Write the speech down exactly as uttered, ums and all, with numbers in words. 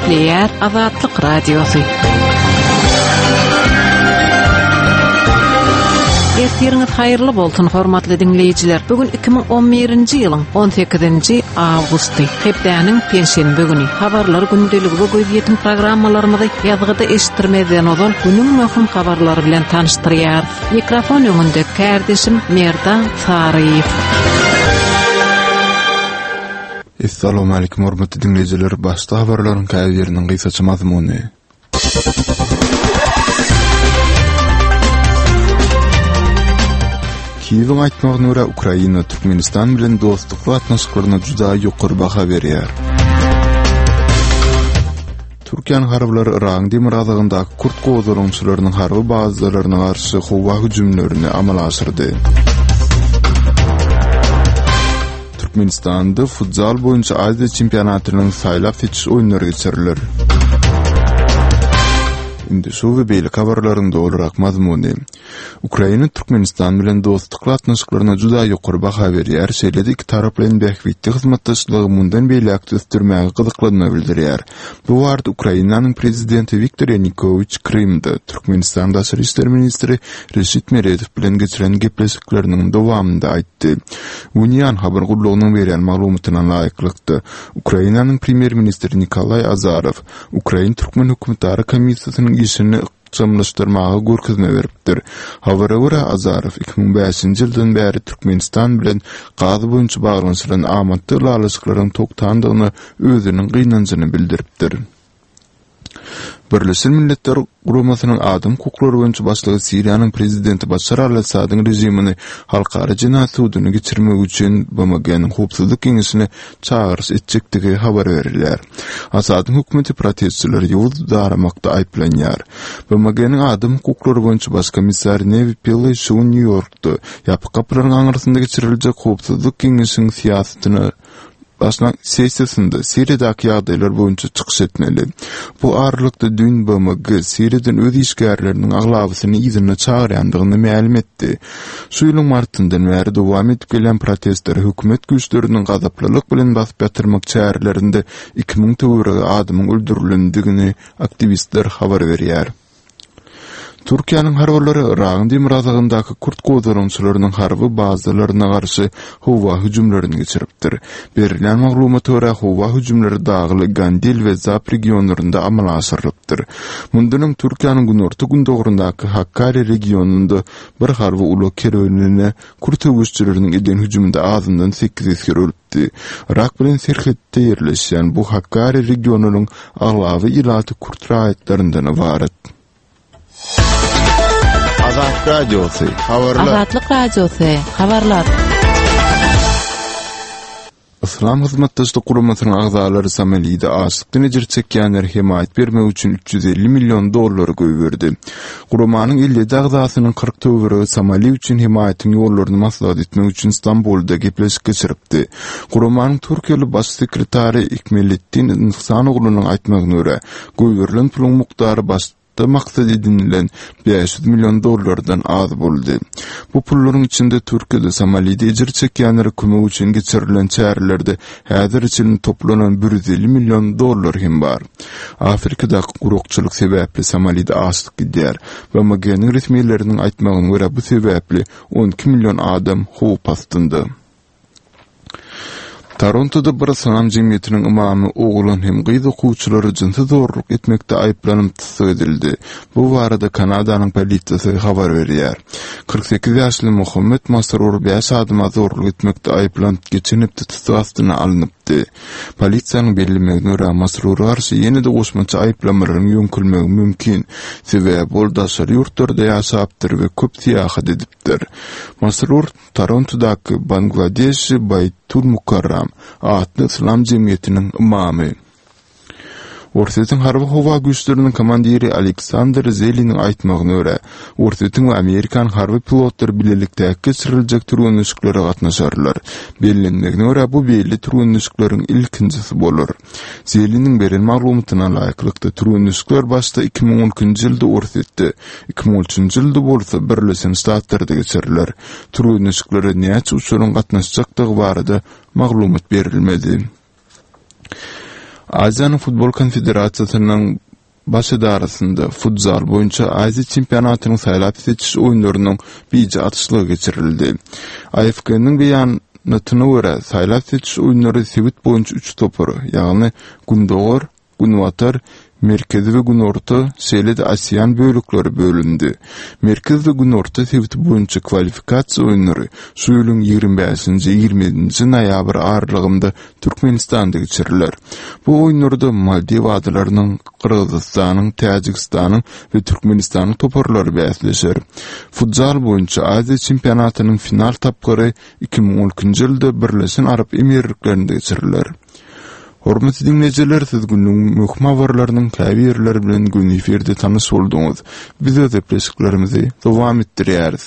Gepleýär Azatlyk Radiosy. Ertiriňiz haýyrly bolsun, hormatly diňleýjiler. Bu gün iki müň on birinji ýylyň on sekizinji awgusty, hepdäniň penşenbe güni. Habarlar gündeligi we gözýetim programmalarymyzy ýazgyda eşitdirmezden ozal günüň möhüm habarlary bilen tanyşdyrýarys. Mikrofon öňünde kärdeşim Merdan Saryýew. Assalamu alaykum hormatly dinleýjiler. Başda habarlaryň käbiriniň gysgaça mazmuny. Kiýewiň aýtmagyna görä Ukraina Türkmenistan bilen dostlukly gatnaşyklaryna juda ýokary baha berýär. Türkiýäniň harbylary Yragyň demirgazygyndaky kürt gozgalaňçylarynyň harby bazalaryna garşy howa hüjümlerini amala aşyrdy. Türkmenistanda futzal boýunça Aziýa çempionatynyň saýlap seçiş oýunlary geçiriler. Indi şu we beýleki habarlaryň dolurak mazmuny. Ukraina Türkmenistan bilen dostlukly gatnaşyklaryna juda ýokary baha berýär, şeýle-de iki taraplaýyn bähbitli hyzmatdaşlygy mundan beýläk ösdürmäge gyzyklanma bildirýär. Bu barada Ukrainanyň prezidenti Wiktor Ýanukowiç Krymda Türkmenistan Daşary işler ministri Reşit Meredow bilen geçiren gepleşikleriniň dowamynda aýtdy. Unian habar gullugynyň berýän maglumatyna laýyklykda, Ukrainanyň premýer-ministri Nikolaý Azarow Ukrain-Türkmen hökümetara komissiýasynyň işini ykjamlaşdyrmaga görkezme beripdir. Habara görä, Azarow iki müň bäşinji ýyldan bäri Türkmenistan bilen gaz boýunça baglanyşylan amatly ylalaşyklaryň togtandygyna özüniň gynanjyny bildiripdir. Birleşen Milletler Guramasynyň adam hukuklary boýunça başlygy Siriýanyň prezidenti Başar al-Assadyň režimini halkara jenaýat suduny geçirmek üçin B M G-niň howpsuzlyk geňeşine çagyryş etjekdigi habar berilýär. Assadyň hökümeti protestçileri ýowuz daramakda aýyplanýar. B M G-niň adam hukuklary boýunça baş komissary Newi Pillay şu gün Nýu-Ýorkda ýapyk gapylaryň aňyrsynda geçiriljek howpsuzlyk geňeşiň syýasatyna başlan sessiýasynda Siriýadaky ýagdaýlar boýunça çykyş etmeli. Bu aralykda düýn B M G Siriýadan öz işgärleriniň aglabasyny yzyna çagyrýandygyny mälim etdi. Şu ýylyň martyndan bäri dowam edip gelýän protestleri hökümet güýçleriniň gazaplylyk bilen basyp ýatyrmak çärelerinde iki müň töweregi adamyň öldürilendigini aktiwistler habar berýär. Türkiýäniň harbylary Yragyň demirgazygyndaky kürt gozgalaňçylarynyň harby bazalaryna garşy howa hüjümlerini geçiripdir. Berilýän maglumata görä, howa hüjümleri dagly Gandil we Zap regionlarynda amala aşyrylypdyr. Mundan öň Türkiýäniň günorta-gündogaryndaky Hakkari regionynda bir harby ulag kerwenine kürt söweşçileriniň eden hüjüminde azyndan sekiz esger ölüpdi. Yrak bilen serhetde ýerleşýän bu Hakkari regionynyň aglaba ilaty kürt raýatlaryndan ybarat. Azatlyk Radiosy, habarlar. Azatlyk Radiosy, habarlar. Yslam hyzmatdaşlyk guramasynyň agzalary Somalide açlykdan ejir çekýänlere hemaýat bermek üçin üç ýüz elli million dollary goýberdi. Guramanyň elli ýedi agzasynyň kyrk töweregi Somali üçin hemaýatyň ýollaryny maslahat etmek üçin Stambulda gepleşik geçiripdi. Guramanyň Türkiýeli baş sekretary Ikmeletdin Ihsanoglunyň aýtmagyna görä, goýberilen puluň mukdary baş da maksat edinilen bäş ýüz million dollardan az boldy. Bu pullaryň içinde Türkiýede Somalide ejir çekýänlere kömek üçin geçirilen çärelerde häzir üçin toplanan bir ýüz elli million dollar hem bar. Afrikadaky gurakçylyk sebäpli Somalide açlyk gidýär. B M G-niň resmileriniň aýtmagyna görä bu sebäpli on iki million adam howp astynda. Torontoda bir yslam jemgyýetiniň imamy oglan hem gyz okuwçylary jynsy zorluk etmekde aýyplanyp tussag edildi. Bu barada Kanadanyň polisiýasy habar berýär. Kyrk sekiz ýaşly Muhammed Masrur bäş adama zorluk etmekde aýyplanyp geçen hepde tussag astyna alnypdy. Polisiýanyň bellemegine görä Masrura garşy ýene-de goşmaça aýyplamalaryň ýöňkülmegi mümkin. Sebäbi ol daşary ýurtlarda ýaşapdyr we köp syýahat edipdir. Masrur Torontodaky Bangladeşi Baýtul Mukarram atly yslam jemgyýetiniň imamy. Orsýetiň harby howa güýçleriniň komandiri Aleksandr Zeliniň aýtmagyna görä, Orsýetiň we Amerikanyň harby pilotlary bilelikdäki geçiriljek türgenleşiklere gatnaşarlar. Bellenmegine görä, bu belli türgenleşikleriň ilkinjisi bolar. Zeliniň beren maglumatyna laýyklykda, türgenleşikler başda iki müň on ikinji ýylda Orsýetde, iki müň on üçünji ýylda bolsa Birleşen Ştatlarda geçiriler. Türgenleşiklere näçe uçaryň gatnaşjakdygy barada maglumat berilmedi. Aziýanyň Futbol Konfederasiýasynyň Baş edarasynda futzal boýunça Aziýa çempionatynyň saýlap seçiş oýunlarynyň bije atyşlygy geçirildi. A F K-nyň beýanatyna görä, saýlap seçiş oýunlary sebit boýunça üç topara, ýagny Gündogar, Günbatar, Merkezi we Günorta, şeýle-de ASEAN bölekleri bölündi. Merkez we Günorta sebiti boýunça kwalifikasiýa oýunlary şu ýylyň ýigrimi bäşinji, ýigrimi ýedinji noýabr aralygynda Türkmenistanda geçiriler. Bu oýunlarda Maldiw adalarynyň, Gyrgyzystanyň, Täjigistanyň we Türkmenistanyň toparlary bäsleşer. Futzal boýunça Aziýa çempionatynyň final tapgyry iki müň on ikinji ýylda Birleşen Arap Emirliklerinde geçiriler. Hormatly diňleýjiler, siz günüň möhüm habarlarynyň käbirleri bilen göni efirde tanyş bolduňyz. Biz öz gepleşiklerimizi dowam etdirýäris.